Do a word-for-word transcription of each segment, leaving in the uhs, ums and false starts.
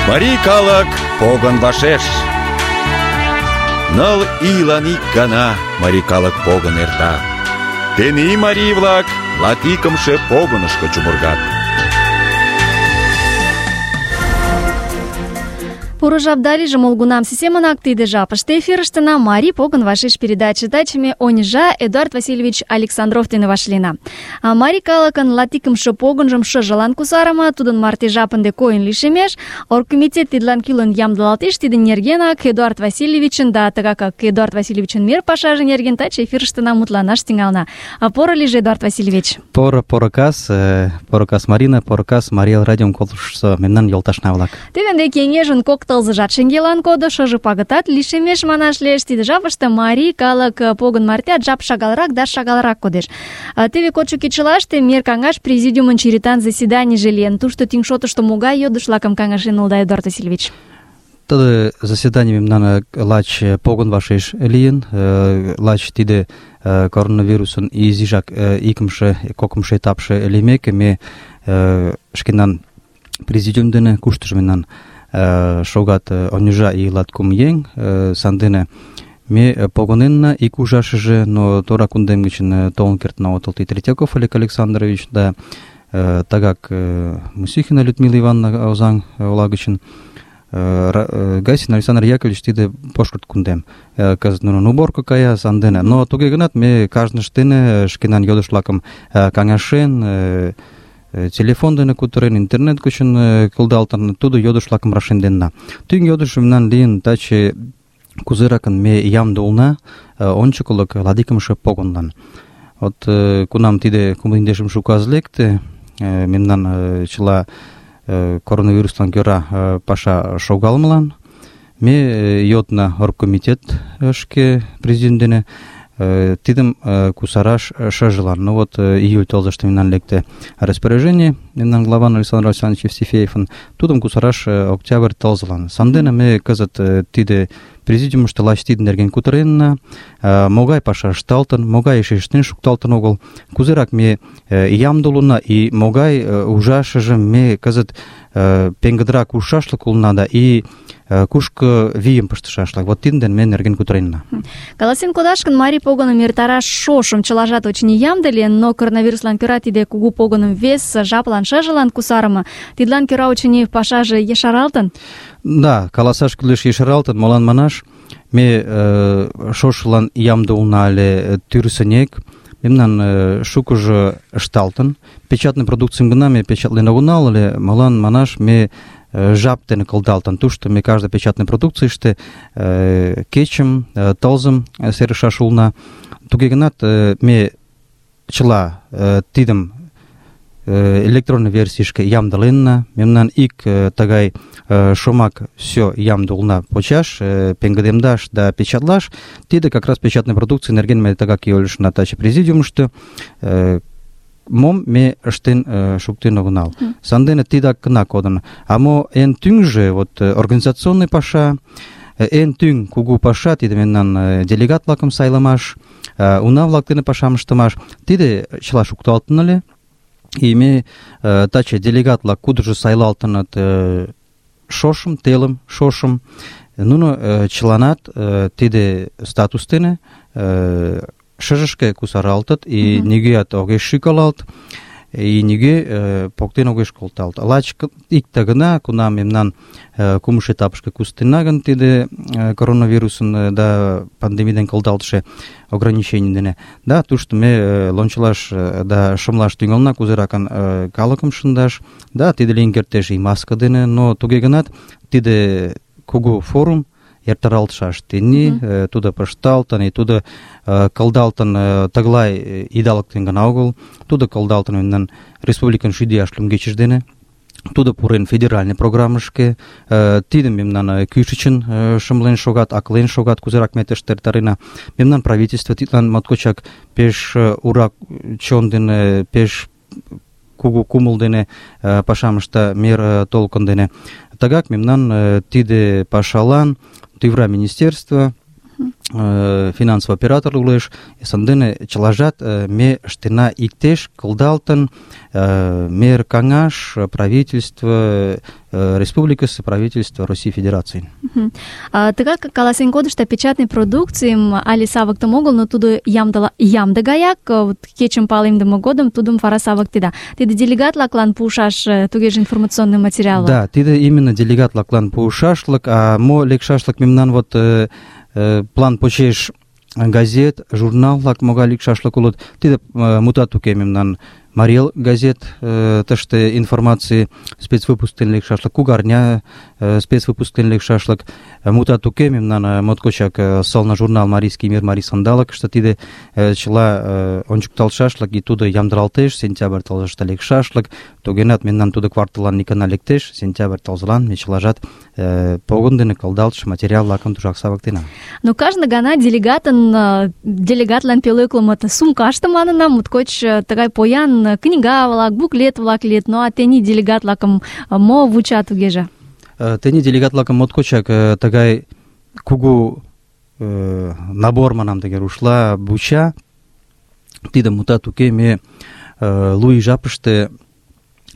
Марий калык погын вашеш. Ныл ийлан ик гана марий калык погын эрта. Тений марий-влак латикымше погынышко чумыргат. Поро жап да лийже молгунамсе семынак тиде жапыште эфирыштына Марий погын вашеш передаче тачыме оньыжа Эдуард Васильевич Александров дене вашлийна. А марий калыкын латикымше погынжым шыжылан кусарыме, тудын марте жапынде койын лишемеш, оргкомитет тидлан кӱлын ямдылалтеш. Тидын нергенак Эдуард Васильевичын да тыгакак Эдуард Васильевичын мер пашаже нерген таче эфирыштына мутланаш тӱҥална. А поро лийже, Эдуард Васильевич. Поро, поро кас, поро кас Марина, поро кас Мария радиом колыштшо мемнан йолташна-влак. Теве ынде кеҥежын кок тылзыжат шеҥгелан кодо, шыже пагытат лишемеш манаш лиеш. Тиде жапыште марий калык погын мартеат жап шагалрак да шагалрак кодеш. Теве кодшо кечылаште мер каҥаш президиумын черетан заседанийже лийын. Тушто тӱҥ шотышто могай йодыш-влакым каҥашен улыда, Эдуард Васильевич? Тиде заседаний мемнан лач погын вашеш лийын. Лач тиде коронавирусын изижак икымше, кокымшо этапше лиймеке, ме шкенан президиум дене куштыжо мемнан шогат оньыжа и латкум еҥ, сандене ме погыненна ик ужашыже, но тора кундем гычын толын кертна отыл Третьяков Олег Александрович да тагак Мусихина Людмила Ивановна Озаҥ ола гычын, Гайсин Александр Яковлевич тиде пошкырт кундем. Кызыт нунын уборка кая сандене. Но туге гынат ме кажнышт дене шкенан йодыш-влакым каҥашен, телефон дене кутырен, интернет гычын кылдалтын, тудо йодыш-влакым рашемденна. Тӱҥ йодыш мемнан лийын таче кузеракын ме ямде улна ончыклык ладикымше погынлан. Вот кунам тиде кумлиндешымше указ лекте, мемнан чыла коронавируслан кӧра паша шогалмылан, ме йодна оргкомитет шке президент дене тидым кусараш шыжылан. Ну вот июль тылзыште мемнан лекте распоряжение, мемнан главан Александр Александрович Евстифеевын, тудым кусараш октябрь тылзылан. Сандене ме кызыт тиде президиумышто лач тидын нерген кутыренна, могай паша ышталтын, могай эше ыштен шукталтын огыл, кузерак ме ямде улына и могай ужашыжым ме кызыт пеҥгыдырак ужшашлык улына да и кушко вийым пыштышашлык. Вот тидын дене ме нерген кутыренна. Каласен кодаш гын, марий погыным эртараш шошым чылажат очыни ямде лийын, но коронавируслан кӧра тиде кугу погыным вес жаплан шыжылан кусарыме, тидлан кӧра очыни пашаже ешаралтын? Да, каласаш кӱлеш, ешаралтын. Молан манаш, ме шошылан ямде улына але тӱрысынек, мемнан шукыжо ышталтын. Печатный продукцийым гына ме печатлен огынал ыле, молан манаш, ме жап дене кылдалтын. Тушто ме каждый печатный продукцийыште кечым, тылзым серышаш улына. Туге гынат ме чыла тидым электронный версийышке ямдыленна. Мемнан ик тыгай шомак все ямде улына почаш, пеҥгыдемдаш да печатлаш. Тиде как раз печатный продукций нерген ме тыгак ойлышна таче президиумышто. Мом ме ыштен шуктен огынал. Сандене тидак гына кодын. А мо эн тӱҥжӧ, вот организационный паша, эн тӱҥ кугу паша, тиде мемнан делегат-влакым сайлымаш, уна-влак дене пашам ыштымаш, тиде чыла шукталтын ыле. И ме таче делегат-влак кудыжо сайлалтыныт шошым, телым, шошым, нуно чыланат тиде статус дене шыжышке кусаралтыт, и нигӧат огеш шӱкалалт, и нигӧ поктен огеш колталт. Лач икте гына, кунам мемнан кумшо этапышке куснена гын тиде коронавирусын да пандемий дене кылдалтше ограничений дене, да, тушто ме лончылаш да шымлаш тӱҥална, кузеракын калыкым шындаш, да, тиде лийын кертеш и маска дене, но туге гынат тиде кугу форум эртаралтшаш тений, тудо пышталтын, и тудо кылдалтын тыглай идалыктен гына огыл, тудо кылдалтын мемнан республикан шӱдӧ ияш лӱмгечыж дене, тудо пурен федеральный программышке, тидым мемнан кӱшычын шымлен шогат, аклен шогат, кузерак ме тыште эртарена. Мемнан правительство тидлан моткочак пеш ура чон дене, пеш кугу кумыл дене пашам ышта, мер толкын дене. Тыгак мемнан тиде пашалан тӱвра министерство финансовый оператор улеш, сандене чылажат ме ыштена иктеш, кылдалтын, мер каҥаш, правительство республикасы, правительство Россий Федерации. Тыгак каласен кодышто печатный продукцийым але савыктыме огыл, но тудо ямдыла ямде гаяк, кечым палемдыме годым тудым вара савыктеда. Тиде делегат-влаклан пуышаш тугеже информационный материал. Да, тиде именно делегат-влаклан пуышашлык, а мо лекшашлык мемнан вот план почеш газет, журнал-влак могай лекшашлык улыт. Тиде мутат уке мемнан Марел газет, тыште информации спецвыпускын лекшашлык, Кугарня спецвыпускын лекшашлык, мутат уке мемнан моткочак сылне журнал Марийский мир, Марий сандалык, что тиде чыла ончыкталшашлык и тудо ямдыралтеш, сентябрь тылзыште лекшашлык, тогенат мемнан тудо кварталлан никана лектеш, сентябрь тылзылан ме чылажат погон дене кылдалтыш материал-влакым тушак савыктена. Но кажне гана делегатын делегатлан пӧлеклымыт сумкаште манына, моткоч тыгай поян книга-влак, буклет-влак лийыт, но а тений делегат-влакым мо вуча тугеже? Тений делегат-влакым моткочак тыгай кугу набор манам тыге рушла вуча. Тиде мутат уке, ме луй жапыште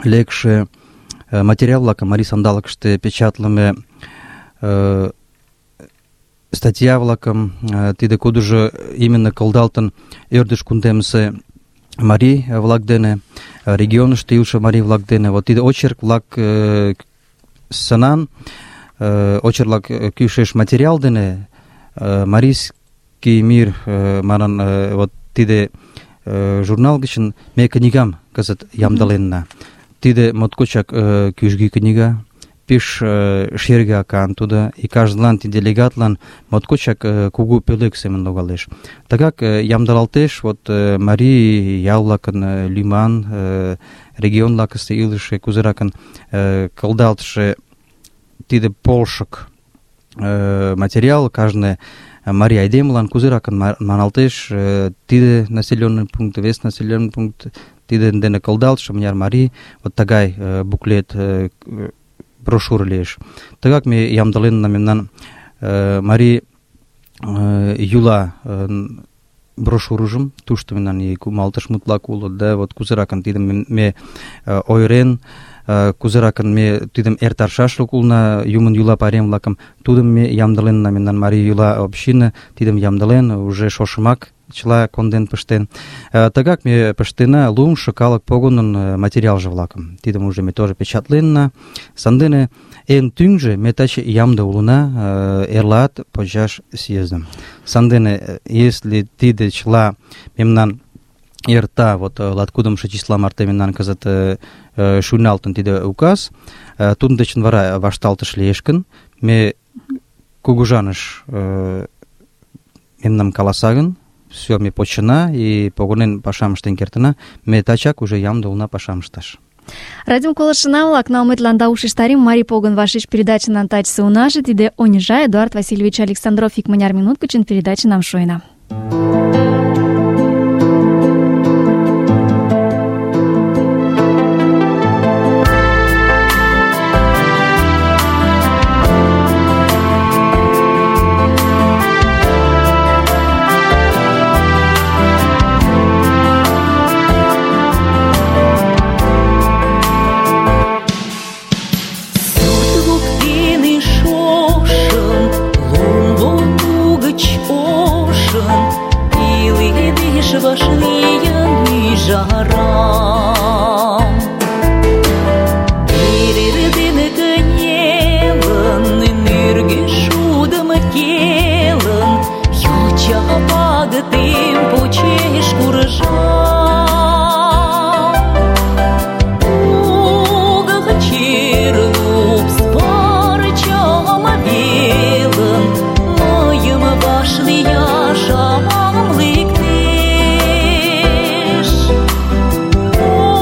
лекше материал-влакым Марий сандалыкыште печатлыме статья-влакым, тиде кудыжо именно кылдалтын ӧрдыж кундемысе марий-влак дене, регионышто илыше марий-влак дене. Вот тиде очерк-влак сынан, очерк-влак кӱшеш материал дене Марийский мир манын вот тиде журнал гычын ме книгам кызыт ямдыленна. Тиде моткочак кӱжгӱ книга, пеш шерге акан тудо, и каждылан тиде делегатлан моткочак кугу пӧлек семын логалеш. Тыгак ямдылалтеш вот марий ял-влакын лӱман, регион-влакысте илыше кузеракын кылдалтше тиде полшык материал кажне марий айдемылан кузеракын маналтеш, тиде населенный пункт, вес населенный пункт, тиде дене кылдалтше мыняр марий, вот тыгай буклет, брошюра лиеш. Тыгак ме ямдыленна мемнан марий юла брошюрыжым, тушто мемнан и кумалтыш мутлак улыт, да, вот кузеракын тидым ме ойырен, кузеракын ме тидым эртаршашлык улна юмын юла пайрем-влакым, тудым ме ямдыленна мемнан марий юла община, тидым ямдылен, уже шошымак чыла конден пыштен. Тыгак ме пыштена лумшо калык погонын материалже-влакым. Тидым уже ме тоже печатленна. Сандене эн тӱҥжӧ ме таче ямде улына эрлаат почаш съездым. Сандене, если тиде чыла мемнан эрта, вот латкудымшо числа марте мемнан кызыт шуйналтын тиде указ, тудын дечын вара вашталтыш лиеш гын, ме кугыжаныш мемнам каласа гын, все ме почына и погонен пашам ыштен кертына, ме тачак уже ямде улына пашам ышташ. Радиом колышына-влак, налметланда ушештарим Марий погон вашеш передачынан тачысе унаже, тиде Онежа Эдуард Васильевич Александров икмыняр минут гычын передачанам шуйна. Oh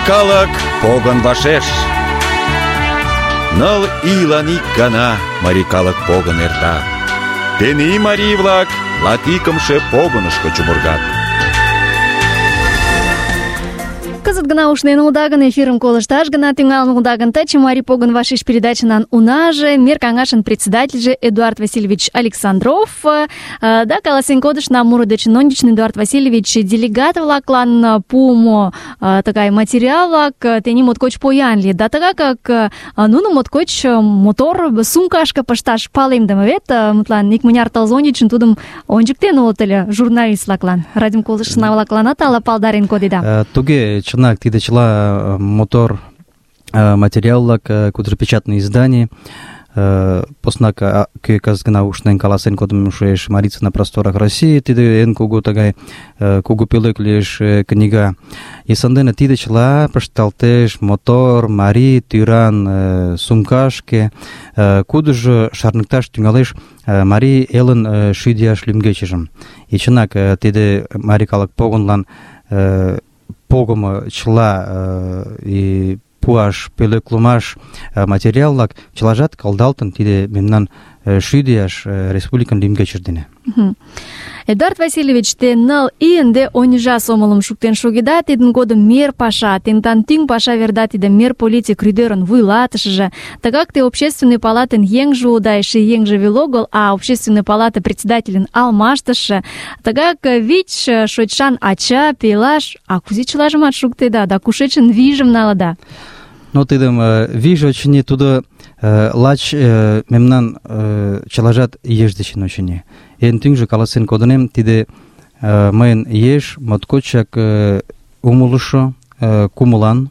калык погын вашеш. Ныл ийлан ик гана марий калык погын эрта. Тений марий-влак латикымше погынышко чумыргат. Кызыт гына ушнен улыда гын, эфирым колышташ гына тӱҥалын улыда гын, таче Марий погын вашеш передачынан унаже, мер каҥашын председательже Эдуард Васильевич Александров. Да, каласен кодышна муро дечын ончычын Эдуард Васильевич делегат-влаклан пуымо тыгай материал-влак тений моткоч поян лийыт. Да тыгакак нуно моткоч мотор сумкашке пышташ палемдыме вет, мутлан икмыняр тылзе ончычын тудым ончыктен улыт ыле журналист-влаклан. Радиом колыштшына-влакланат ала палдарен кодеда. Туге, чынак, тиде чыла мотор материал-влак, кудыр печатный издание. Поснак кӧ кызыт гына ушнен каласен кодымо шуэш «Марица на просторах России», тиде эн кугу тыгай кугу пӧлек лиеш книга. И сандене тиде чыла пышталтеш мотор, марий, тӱран сумкашке, кудыжо шарныкташ тӱҥалеш марий элын шӱдӧ ияш лӱмгечыжым. И чынак, тиде марий калык погынлан погымо чыла и пуаш, пӧлеклымаш материал-влак чылажат кылдалтын тиде мемнан шӱдӧ ияш республикын лӱмгечыж дене. Эдуард Васильевич, те ныл ий ынде оньыжа сомылым шуктен шогеда, тидын годым мер паша, тендан тӱҥ паша верда тиде мер политик рӱдерын вуйлатышыже. Тыгак те общественный палатын еҥже улыда, эше еҥже веле огыл, а общественный палата председательын алмаштыше. Тыгак вич шочшан ача, пелаш, а кузе чылажымат шуктеда, да кушечын вийжым налыда? Ну, тидым вийже, очыни, тудо лач мемнан чылажат еш дечын, очыни. Эн тӱҥжӧ каласен кодынем, тиде мыйын еш моткочак умылышо, кумылан,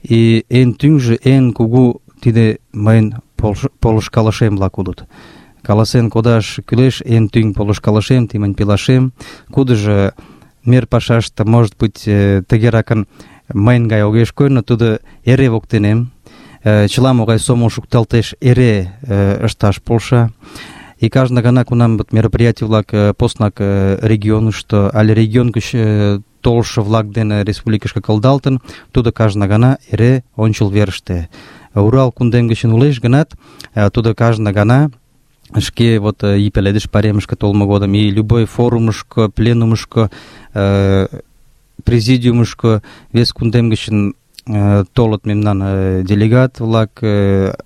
и эн тӱҥжӧ, эн кугу тиде мыйын полышкалышем-влак улыт. Каласен кодаш кӱлеш эн тӱҥ полышкалышем, ти мынь пелашем, кудыжо мер пашаште, может быть, тыгеракын мыйын гай огеш кой, но тудо эре воктенем, чыла могай сомыл шукталтеш, эре ышташ полша. И каждый гана кунам мероприятий-влак поснак регионышто, али регион гыч толшо-влак дене республикышке кылдалтын, тудо каждый гана эре ончыл верыште. Урал кундем гычын улеш гынат, тудо каждый гана шке вот и пеледыш паремышке толмо годым, и любой форумышко, пленумышко, президиумышко вес кундем гычын толыт мемнан делегат-влак,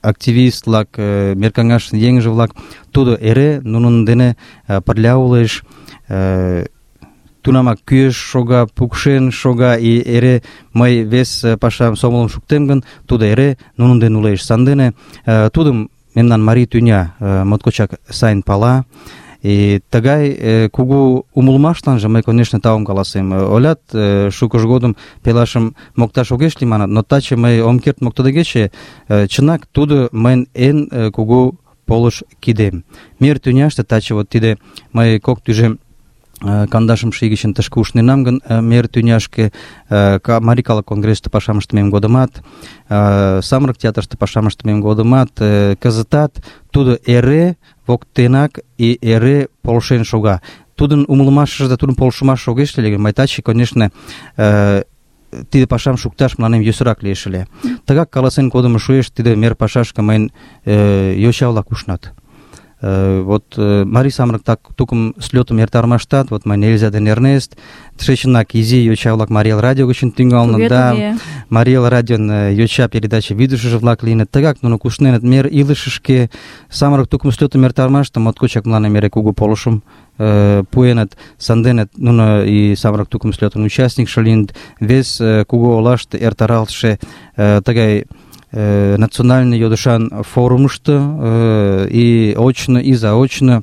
активист-влак, мер каҥашын еҥже-влак, тудо эре нунын дене пырля улеш, тунамак кӱэш шога, пукшен шога, и эре мый вес пашам сомылым шуктем гын, тудо эре нунын дене улеш. Сандене тудым мемнан марий тӱня моткочак сайын пала. И тыгай кугу умылымашланже мый, конечно, таум каласем. Олят, шукыж годым пелашым мокташ огеш лий манат, но таче мый ом керт моктыдегече, чынак тудо мыйын эн кугу полыш кидем. Мер тӱняште таче вот тиде мый кок тӱжем кандашымше ий гычын тышке ушненам гын мер тӱняшке, марий калык конгрессыште пашам ыштымем годымат, самырык театрыште пашам ыштымем годымат, кызытат тудо эре воктенак и эре полшен шога. Тудын умылымашыже да тудын полшымаш огеш лий гын, мый таче, конечно, тиде пашам шукташ мыланем йӧсырак лиеш ыле. Тыгак каласен кодымо шуэш, тиде мер пашашке мыйын йоча-влак ушнат. Вот марий самырык так тукым слётым эртарымаштат, вот мыйын Эльза ден Эрнест, тышечынак изи йоча-влак Марий Эл радио гычын тӱҥалыныт, да, Марий Эл радион йоча передача вӱдышыжӧ-влак лийыныт. Тыгак нуно кусненыт мер илышышке, самырык тукым слётым эртарымаште моткочак мыланем эре кугу полышым пуэныт. Сандене нуно и самырык тукым слётын участникше лийыныт. Вес кугу олаште эртаралтше тыгай национальный йодышан форумышто и очно, и заочно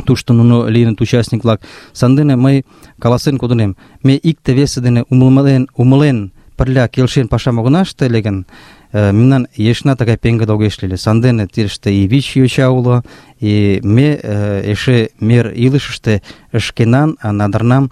тушто нуно лийыныт участник-влак. Сандене мый каласен кодынем, ме икте-весе дене умылен, умылен пырля келшен пашам огына ыште ыле гын, мемнан ешна тыгай пеҥгыде огеш лий. Сандене тидыште и вич йоча уло, И ме эше мер илышыште шкенан надырнам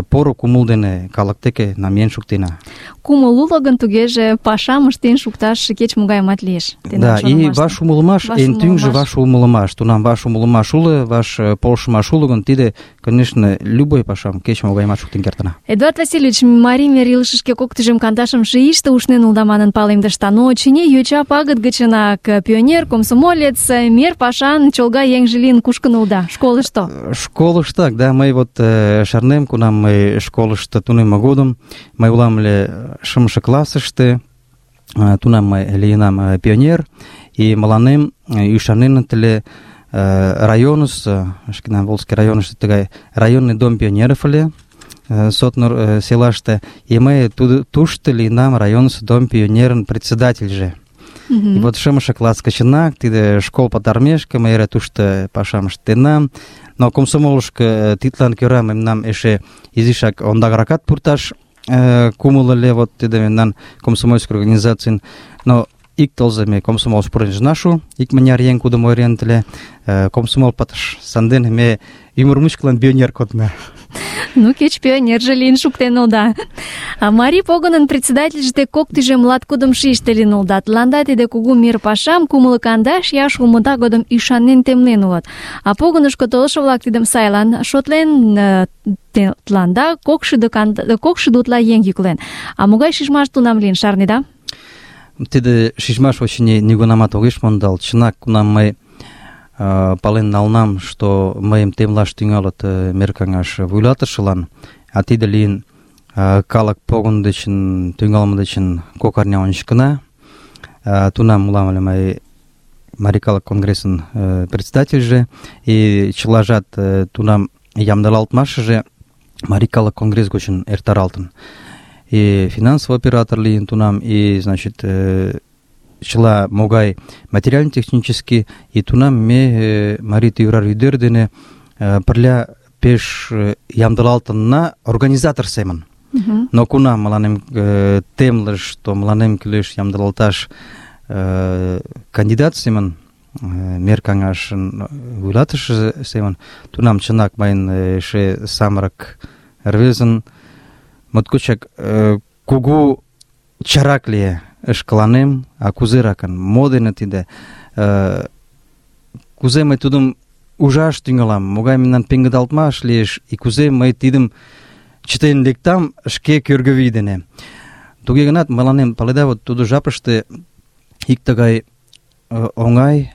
поро кумыл дене калык деке намиен шуктена. Кумыл уло гын, тугеже пашам ыштен шукташ кеч-могайымат лиеш. Да, и ваш умылымаш, эн тӱҥжӧ ваш умылымаш. Тунам ваш умылымаш уло, ваш полшымаш уло гын, тиде, конечно, любой пашам кеч-могайымат шуктен кертына. Эдуард Васильевич, марий мер илышышке кок тӱжем кандашымше ийыште ушнен улыда манын палемдышда, но очыни йоча пагыт гычынак пионер, комсомолец, мер пашан чолга еҥже лийын кушкын улыда, школышто. Школыштак, да, мый вот шарнем, кунам мый школышто тунемме годым, мый улам ыле шымше классыште, тунам мый лийынам пионер, и мыланем ӱшаненыт ыле районысо, шкенан Волжский районышто тыгай районный дом пионеров ыле, Сотнур селаште, и мый тушто лийынам районысо дом пионерын председательже. И вот шымше класс гычынак, тиде школ пытарымешке, мый эре тушто пашам ыштенам, но комсомолышко тидлан кӧра мемнам эше изишак ондакракат пурташ кумыл ыле, вот тиде мемнан комсомольский организацийын, но ик тылзе ме комсомолыш пурен ыжна шу, икмыняр еҥ кудым ойыреныт ыле, комсомол пытыш, сандене ме ӱмыр мучкылан пионер кодна. Ну, кеч пионерже лийын шуктен улыда. А марий погынын председательже кок тӱжем латкудымшо ийыште лийын улыда. Тыланда тиде кугу мир пашам кумло кандаш ияш улмыда годым ӱшанен темлен улыт. А погынышко толшо-влак тидым сайлан шотлен, тыланда кокшӱдӧ утла еҥ йӱклен. А могай шижмаш тунам лийын, шарнеда? Тиде шижмаш, очыни, нигунамат огеш мондалт. Чынак, кунам мый пален налнам, что мыйым темлаш тӱҥалыт мер каҥаш вуйлатышылан, а тиде лийын калык погын дечын, тӱҥалме дечын кок арня ончыкына. Тунам улам ыле мый Марий калык конгрессын председательже, и чылажат тунам ямдылалтмашыже Марий калык конгресс гочын эртаралтын. И финансовый оператор лийын тунам, и, значит, чыла могай материально-технический, и тунам ме марий тӱврар ӱдыр дене пырля пеш ямдылалтынна организатор семын. Uh-huh. Но кунам мыланем темлыш, то мыланем кӱлеш ямдылалташ кандидат семын, мер каҥашын вуйлатыше семын, тунам чынак мыйын эше самырык рвезын моткочак кугу чарак лие. Шкаланем, а кузеракын, мо дене тиде, кузе мый тудым ужаш тӱҥалам, могай мемнан пеҥгыдалтмаш лиеш, и кузе мый тидым чытен лектам шке кӧргӧ вий дене. Туге гынат, мыланем, паледа, вот тудо жапыште ик тыгай оҥай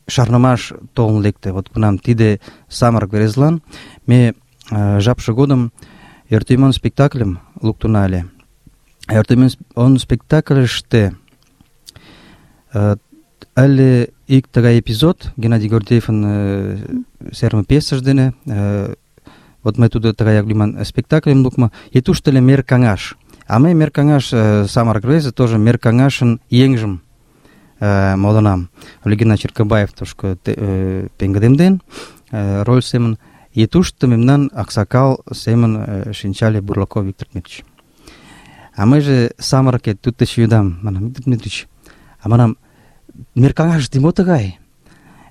шарнымаш толын лекте. Вот кунам тиде самырык рвезылан ме жапше годым Ӧртӧмӧн спектакльым луктына ыле. Ӧртӧмӧн спектакльыште ыле ик тыгай эпизод, Геннадий Гордеевын серыме пьесыж дене, вот мый тудо тыгаяк лӱман спектакльым лукмо, и тушто ыле мер каҥаш. А мый мер каҥаш, самырык рвезе, тоже мер каҥашын еҥжым модынам. Геннадий Черкабаев тушко пеҥгыдемден роль семын, и тушто мемнан аксакал семын шинчале Бурлаков Виктор Дмитриевич. А мыйже самырыкет тут еще юдам, манам, Виктор Дмитриевич, а манам, мер каҥашыште мо тыгай?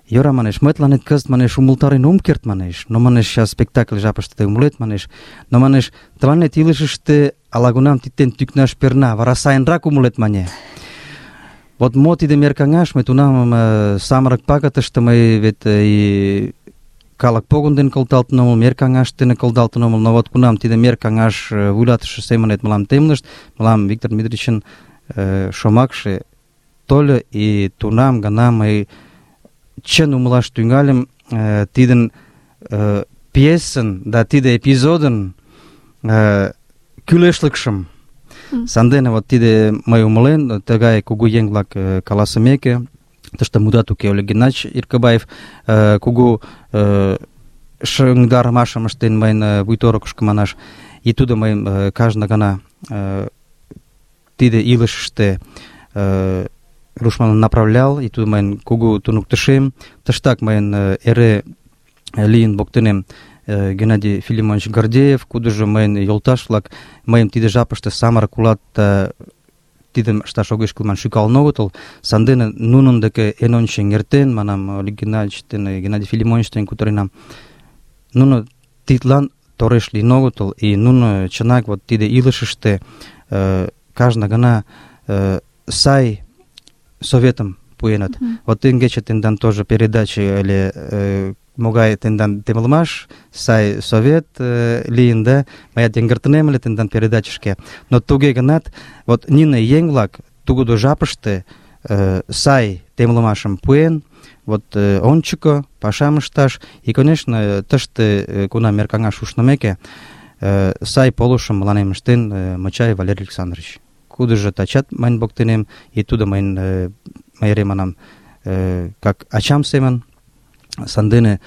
Йӧра, манеш, мый тыланет кызыт, манеш, умылтарен ом керт, манеш, но, манеш, сейчас спектакль жапыште тый умылет, манеш, но, манеш, тыланет илышыште ала-кунам титтен тӱкнаш перна, вара сайынрак умылет, мане. Вот мо тиде мер каҥаш, мый тунам самырык пагытыште мый вет и калык погын дене кылдалтын омыл, мер каҥаш дене кылдалтын омыл, но вот кунам тиде мер каҥаш вуйлатыше семынет мылам темлышт, мылам Виктор Дмитриевичын шомакше тольо, и тунам гана мый чын умылаш тӱҥальым тидын пьесын да тиде эпизодын кӱлешлыкшым. Сандене вот тиде мый умылен, тыгай кугу еҥ-влак каласымеке, тыште мудат уке ыле, Геннадий Иркабаев кугу шыҥдарымашым ыштен мыйын вуйторыкышко манаш, и тудо мыйым кажне гана тиде илышыште рушманлан направлял, и тудо мыйын кугу туныктышем. Тыштак мыйын эре лийын воктенем Геннадий Филимонович Гордеев, кудыжо мыйын йолташ-влак, мыйым тиде жапыште самырык улат тидым ышташ огеш кӱл ман шӱкалын огытыл. Сандене нунын деке эн ончен эртен, манам, Олег Геннадьевич ден Геннадий Филимонович дене кутыренам. Нуно тидлан тореш лийын огытыл, и нуно чынак вот тиде илышыште кажне гана сай советым пуэныт. Mm-hmm. Вот теҥгече тендан тоже передаче ыле, могай тендан темылмаш, сай совет лийын, да, мыят йыҥгыртынем ыле тендан передачышке. Но туге гынат, вот нине еҥ-влак тыгыде жапыште сай темлымашым пуэн, вот ончыко пашам ышташ, и, конечно, тыште кунам эркаҥаш ушнымеке, сай полышым мыланем ыштен Мочаев Валерий Александрович. Кудыжо тачат мыйын воктенем, и тудо мыйын мый эре манам, как ачам семын. Сандене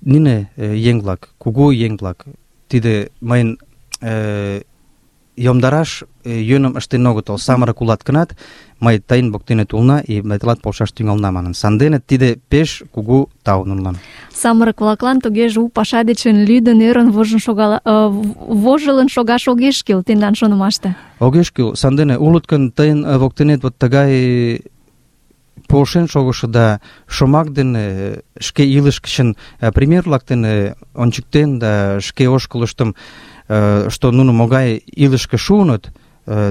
нине еҥ-влак, кугу еҥ-влак, тиде мыйын йомдараш йӧным ыштен огытыл. Самырык улат гынат, мый тыйын воктенет улна, и мый тылат полшаш тӱҥална манын. Сандене тиде пеш кугу тау нунылан. Самырык-влаклан тугеже у паша дечын лӱдын, ӧрын вожын шогала, вожылын шогаш огеш кӱл тендан шонымаште. Огеш кӱл. Сандене улыт гын тыйын воктенет вот тыгай полшен шогышо да шомак дене шке илыш гычын пример-влак дене ончыктен да шке ошкылыштым, что нуно могай илышке шуыныт,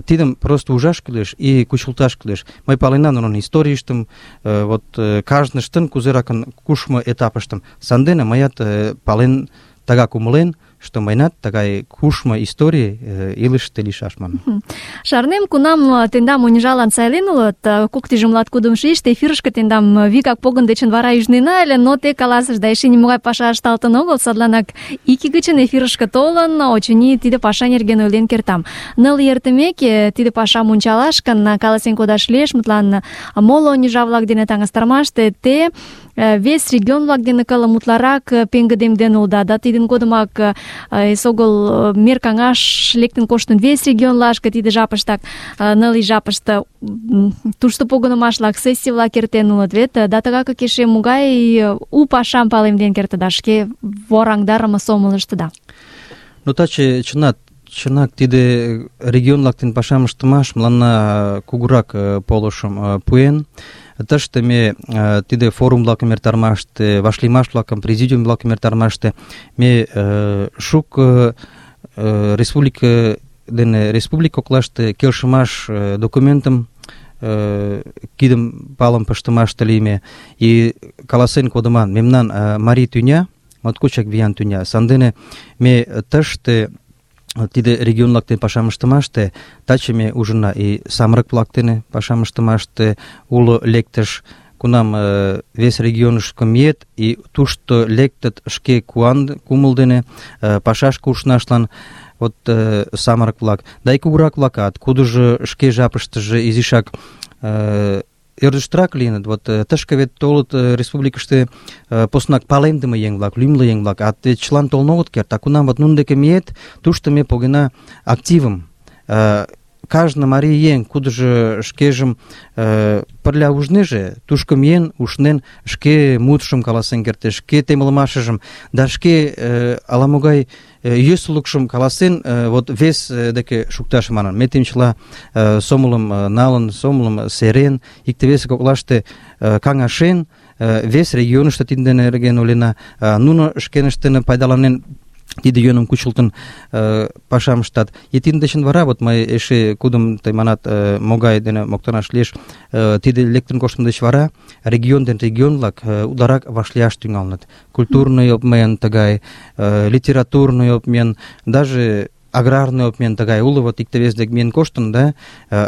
тидым просто ужаш кӱлеш и кучылташ кӱлеш. Мый паленам нунын историйыштым, вот кажныштын кузеракын кушмо этапыштым. Сандене мыят пален, тыгак умылен, что мыйнат тыгай кушмо историй илышыште лийшаш манын. Шарнем, кунам тендам Унижалан сайлен улыт, кок тӱжем латкудымшо ийыште эфирышке тендам вигак погын дечын вара ӱжнена ыле, но те каласышда, эше нимогай паша ышталтын огыл, садланак ик ий гычын эфирышке толын, очыни тиде паша нерген ойлен кертам. Ныл ий эртымеке тиде пашам ончалаш гын, каласен кодаш лиеш, мутлан моло Унижа-влак дене таҥастарымаште те вес регион-влак дене кылым утларак пеҥгыдемден улыда, да тидын годымак эсогыл мер каҥаш лектын коштын вес регионлашке, тиде жапыштак, ныл ий жапыште тушто погынымаш-влак, сессий-влак эртен улыт вет, да тыгакак эше могай у пашам палемден кертыда, шке вораҥдарыме сомылыштыда. Ну, таче чынат, чынак тиде регион-влак дене пашам ыштымаш мыланна кугурак полышым пуэн. Тыште ме тиде форум-влакым эртарымаште, вашлиймаш-влакым, президиум-влакым эртарымаште ме шуко республика дене республика коклаште келшымаш документым кидым палым пыштымаште лийме. И каласен кодыман, мемнан марий тӱня, моткочак виян тӱня, сандене ме тыште тиде регион-влак дене пашам ыштымаште таче ме ужына и самырык-влак дене пашам ыштымаште уло лектыш, кунам э, вес регионышко миет и тушто лектыт шке куан кумыл дене э, пашашке ушнашлан вот э, самырык-влак. Да и кугурак-влакат, кудыжо шке жапыштыже изишак э, ӧрдыжтырак лийыныт. Вот тышке вет толыт республикыште поснак палемдыме еҥ-влак, лӱмлӧ еҥ-влак, а вет чылан толын огыт керт. А кунам вот нунын деке миет, тушто ме погена активым. Кажне марий еҥ, кудыжо шкежым пырля ужнеже, тушко миен, ушнен, шке мутшым каласен кертеш, шке темлымашыжым, да шке ала-могай йӧсылыкшым каласен, вот вес деке шукташ манын. Ме темчыла сомылым налын, сомылым серен, икте-весе коклаште каҥашен, вес регионышто тидын дене нерген ойлена, нуно шкеныштын пайдаланен тиде йӧным кучылтын пашам ыштат. И тидын дечын вара, вот мый эше кудым тый манат, могай дене моктанаш лиеш, тиде лектын коштмо деч вара регион ден регион-влак утларак вашлияш тӱҥалыныт. Культурный обмен тыгай, литературный обмен, даже аграрный обмен тыгай уло, вот икте-вес дек миен коштын, да,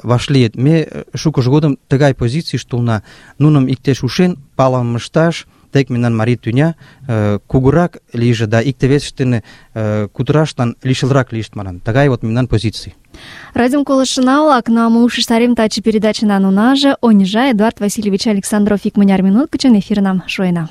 вашлийыт. Ме шукыж годым тыгай позицийыште улна, нуным иктеш ушен, палым ышташ, тек мемнан марий тӱня кугурак лийже да икте-весышт дене кутырашлан лишылрак лийышт манын. Тыгай вот мемнан позиций. Радиом колышына-влак, но мы ушештарем таче передачынан унаже Унижа Эдуард Васильевич Александров икмыняр минут гычын эфирнам шуена.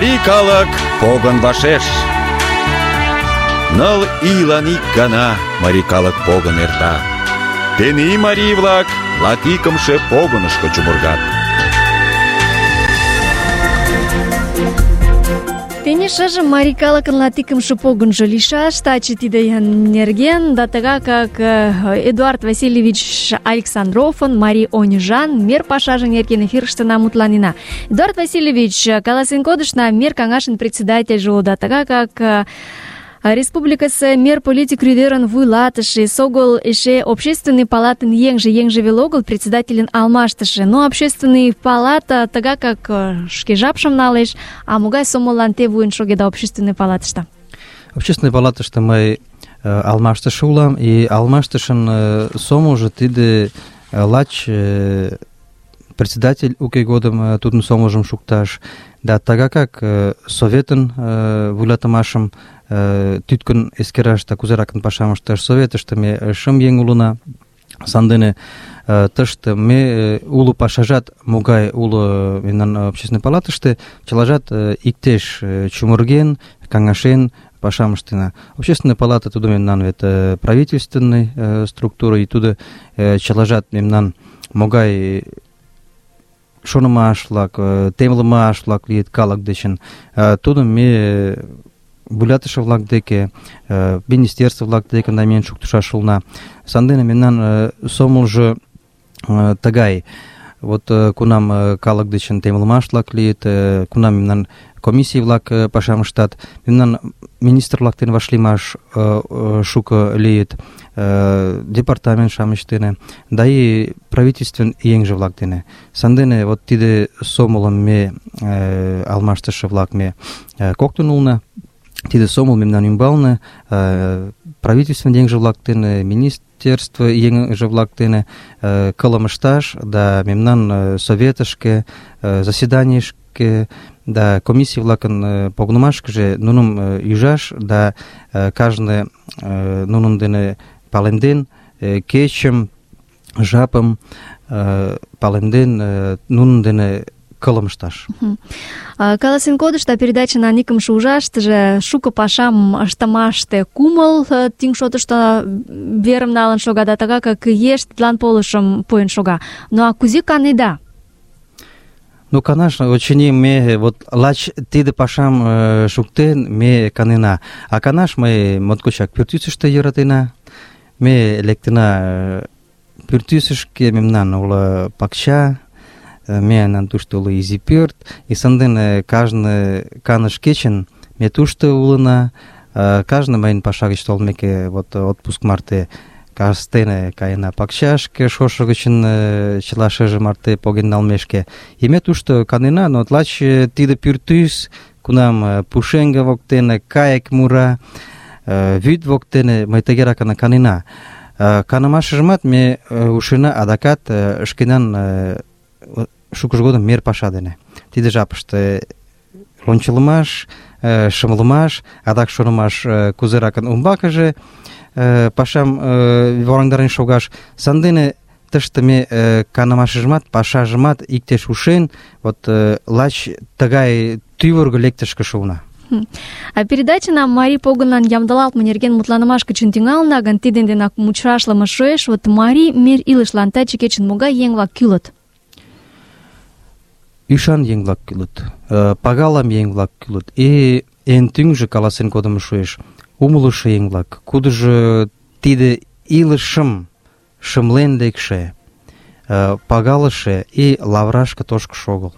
Марий калык погын вашеш. Ныл ийлан ик гана марий калык погын эрта. Тений марий-влак латикымше погынышко чумыргат. Тений шыжым марий калыкын латикымше погынжо лийшаш. Таче тиде нерген да тыгак как Эдуард Васильевич Александровын марий оньыжан мер пашаже нерген эфирыштына мутланена. Эдуард Васильевич, каласен кодышна мер каҥашын председательже улыда, тыгак как республикысе мер политик рӱдерын вуйлатыше, эсогыл эше общественный палатын еҥже, еҥже веле огыл, председательын алмаштыше. Но общественный палата тыгак как шке жапшым налеш, а могай сомыллан те вуйын шогеда общественный палатыште? Общественный палатыште мый алмаштыше улам, и алмаштышын сомылжо тиде лач председатель уке годым тудын сомылжым шукташ, да тыгак как советын вуйлатымашым тӱткын эскераш да кузеракын пашам ышташ советыште ме шым еҥ улына. Сандене тыште ме уло пашажат могай уло мемнан общественный палатыште, чылажат иктеш чумырген, каҥашен пашам ыштена. Общественный палата тудо мемнан вет правительственный структура, и тудо чылажат мемнан могай шонымаш-влак, темлымаш-влак лийыт калык дечын, тудым ме вуйлатыше-влак деке, министерство-влак деке намиен шуктышаш улына. Сандене мемнан сомылжо тыгай. Вот кунам калык дечын темлымаш-влак лийыт, кунам мемнан комиссий-влак пашам ыштат, мемнан министр-влак дене вашлиймаш шуко лийыт, департамент-шамыч дене, да и правительствен еҥже-влак дене. Сандене вот тиде сомылым ме алмаштыше-влак ме коктын улына. Тиде сомыл мемнан ӱмбалне правительствен еҥже-влак дене, министерство еҥже-влак дене кылым ышташ, да мемнан советышке, заседанийышке, да комиссий-влакын погынымашкыже нуным ӱжаш, да кажне нунын дене палемден, кечым, жапым палемден, нунын дене кылым ышташ. Каласен кодышта передача икымше ужаштыже шуко пашам ыштымаште кумыл тӱҥ шотышто верым налын шога, да тыгак как еш тидлан полышым пуэн шога. Ну а кузе канеда? Ну, конечно, очыни ме вот лач тиде пашам шуктен ме канена. А канаш ме моткочак пӱртӱсыштӧ йӧратена. Ме лектына пӱртӱсышкӧ, мемнан уло пакча, мемнан тушто уло изи пӧрт, и сандене кажне каныш кечын ме тушто улына. Кажне мыйын паша гыч толмеке, вот отпуск марте кастене каена пакчашке, шошо гычын чыла шыже марте поген налмешке. И ме тушто канена, но лач тиде пӱртӱс, кунам пушеҥге воктене кайык мура, вӱд воктене мый тыгеракын канена. Канымашыжымат ме ушена адакат шкенан шукыж годым мер паша дене. Тиде жапыште лончылымаш, шымлымаш, адак шонымаш кузеракын умбакыже пашам вораҥдарен шогаш. Сандене тыште ме канымашыжымат, пашажымат иктеш ушен, вот лач тыгай тӱвыргӧ лектышке шуына. А передачана марий погынлан ямдылалтме нерген мутланымаш гычын тӱҥалына гын, тидын денак мучашлыме шуэш. Вот марий мер илышлан таче кечын могай еҥ-влак кӱлыт? Ӱшан еҥ-влак кӱлыт, пагалам еҥ-влак кӱлыт, и эн тӱҥжӧ каласен кодымо шуэш: умылышо еҥ-влак, кудыжо тиде илышым шымлен лекше, пагалыше и лавырашке тошкышо огыл.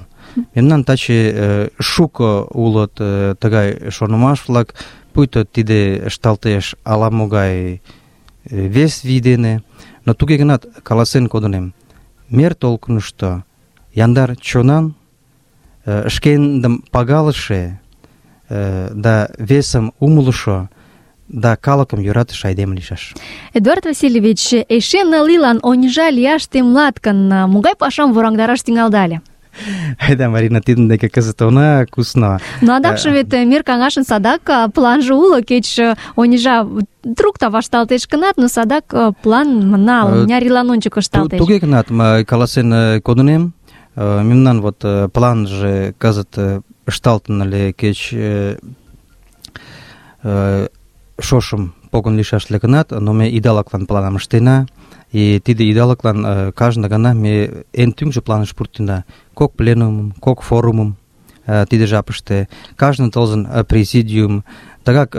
Мемнан таче шуко улыт тыгай шонымаш-влак, пуйто тиде ышталтеш ала-могай вес вий дене, но туге гынат каласен кодынем: мер толкынышто яндар чонан, шкендым пагалыше, да весым умылышо, да калыкым йӧратыше айдеме лийшаш. Эдуард Васильевич, эше ныл ийлан оньыжа лияш темлат гын, могай пашам вораҥдараш тӱҥалда ыле? Айда, Марина, тидын деке кызыт она кусна. Но адакше вет мер каҥашын садак планже уло, кеч оньыжа трукта вашталтеш гынат, но садак план мына мыняр ийлан ончыко ышталтеш. Туге гынат, мый каласен кодынем, мемнан вот планже кызыт ышталтын ыле кеч шошым погын лийшаш гынат, но ме идалыклан планым ыштена. И тиде идалыклан кажне гана ме эн тӱҥжӧ планыш пуртена. Кок пленумым, кок форумым тиде жапыште, кажне тылзын президиум, тыгак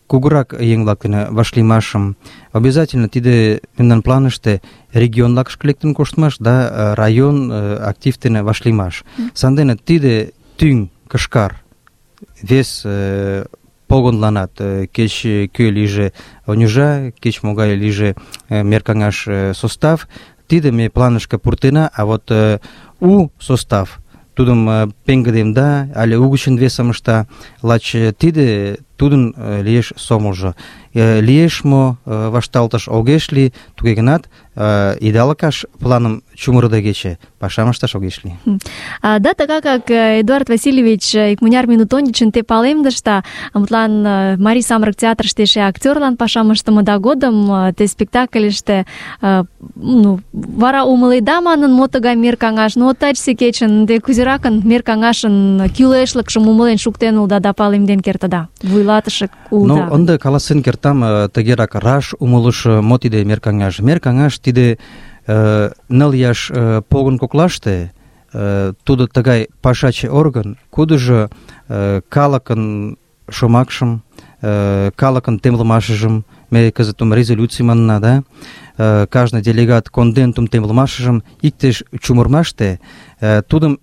кугурак еҥ-влак дене вашлиймашым, обязательно тиде мемнан планыште регион-влакышке лектын коштмаш да район актив дене вашлиймаш. Сандене тиде тӱҥ кышкар вес погонланат, кеч кӧ лийже оньыжа, кеч могай лийже меркаҥаш состав, тиде ме планышке пуртена, а вот у состав тудым пеҥгыдемда але угычын весым ышта, лач тиде тудын лиеш сомылжо. Лиеш мо вашталтыш огеш лий, туге гынат идалыкаш планым чумырыдегече пашам ышташ огеш лий. Да, тыгакак Эдуард Васильевич икмыняр минут ончычын те палемдышда, мутлан Марий самырык театрыште эше актёрлан пашам ыштымыда годым те спектакльыште ну, вара умыледа манын, мо тыгай мер каҥаш, но тачсе кечын ынде кузеракын мер каҥашын кӱлешлыкшым умылен шуктен улыда да палемден кертыда, вуйлатыше улыда. Ну, ынде каласен кертам тыгерак раш умылыш, мо тиде мер каҥаш. Мер каҥаш тиде ныл ияш погын коклаште тудо тыгай пашаче орган, кудыжо калыкын шомакшым, калыкын темлымашыжым, ме кызытым резолюций манына, да, кажне делегат кондентум темлымашыжым иктеш чумырмаште тудым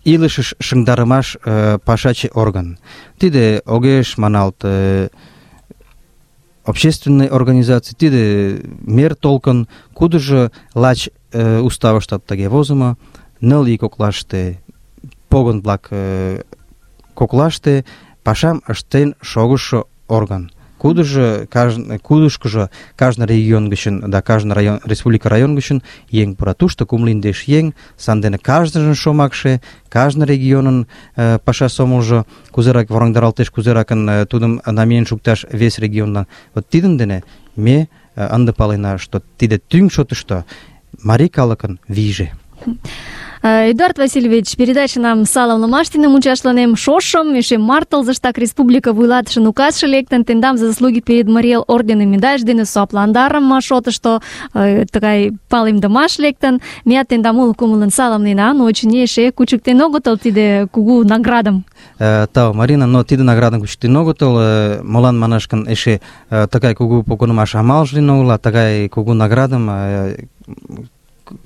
илышыш шыҥдарымаш пашаче орган. Тиде огеш маналт общественный организация, тиде мер толкын, кудыжо лач уставыштат тыге возымо, ныл ий коклаште, погын-влак коклаште пашам ыштен шогышо орган. Кудыжо, кажне, кудышкыжо кажне регион гычын да кажне район, республика район гычын еҥ пура. Тушто кумло индеш еҥ, сандене кажныжын шомакше, кажне регионын э, паша сомылжо кузерак вораҥдаралтеш, кузеракын тудым намиен шукташ вес регионлан. Вот тидын дене ме ынде палена, что тиде тӱҥ шотышто марий калыкын вийже. Эдуард Васильевич, передачанам саламлымаш дене мучашланем. Шошым эше март тылзыштак республика вуйлатышын указше лектын, тендам за заслуги перед Марий Эл орденым медаль дене суапландарым шотышто тыгай палемдымаш лектын. Меат тендам уло кумылын саламлена, но очыни эше кучыктен огытыл тиде кугу наградым. Тау, Марина, но тиде наградым кучыктен огытыл, молан манаш гын эше тыгай кугу погынымаш амалже лийын огыл, а тыгай кугу наградым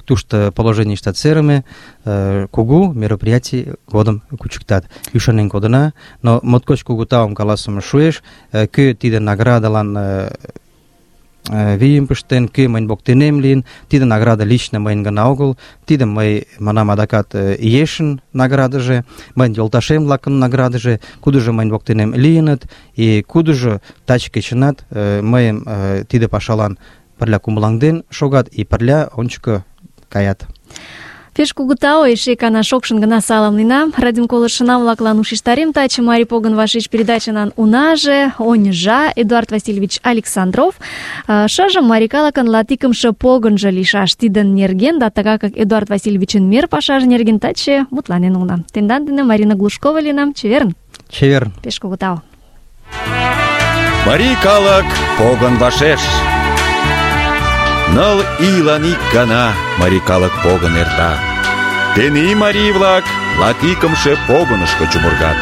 тушто положенийыштат серыме, кугу мероприятий годым кучыктат. Ӱшанен кодына, но моткоч кугу таум каласыме шуэш, кӧ тиде наградылан вийым пыштен, кӧ мыйын воктенем лийын, тиде награда лично мыйын гына огыл, тиде мый манам адакат ешын наградыже, мыйын йолташем-влакын наградыже, кудыжо мыйын воктенем лийыныт, и кудыжо таче кечынат мыйым тиде пашалан пырля кумылаҥден шогат и пырля ончыко каят. Пеш кугу тау, эше икана шокшын гына саламлена. Радион колышына-влаклан ушештарем таче Марий погын вашеш передачанан унаже, оньыжа Эдуард Васильевич Александров. Шыжым марий калыкын латикымше погынжо лийшаш тидын нерген, да тыгакак Эдуард Васильевичын мер пашаже нерген таче мутланен улына. Тендан дене Марина Глушкова лийынам. Чеверын. Чеверын. Пеш кугу тау. Марий калык погын вашеш. Ныл ийлан ик гана марий калык погын эрта. Тений марий-влак латикымше погынышко чумыргат.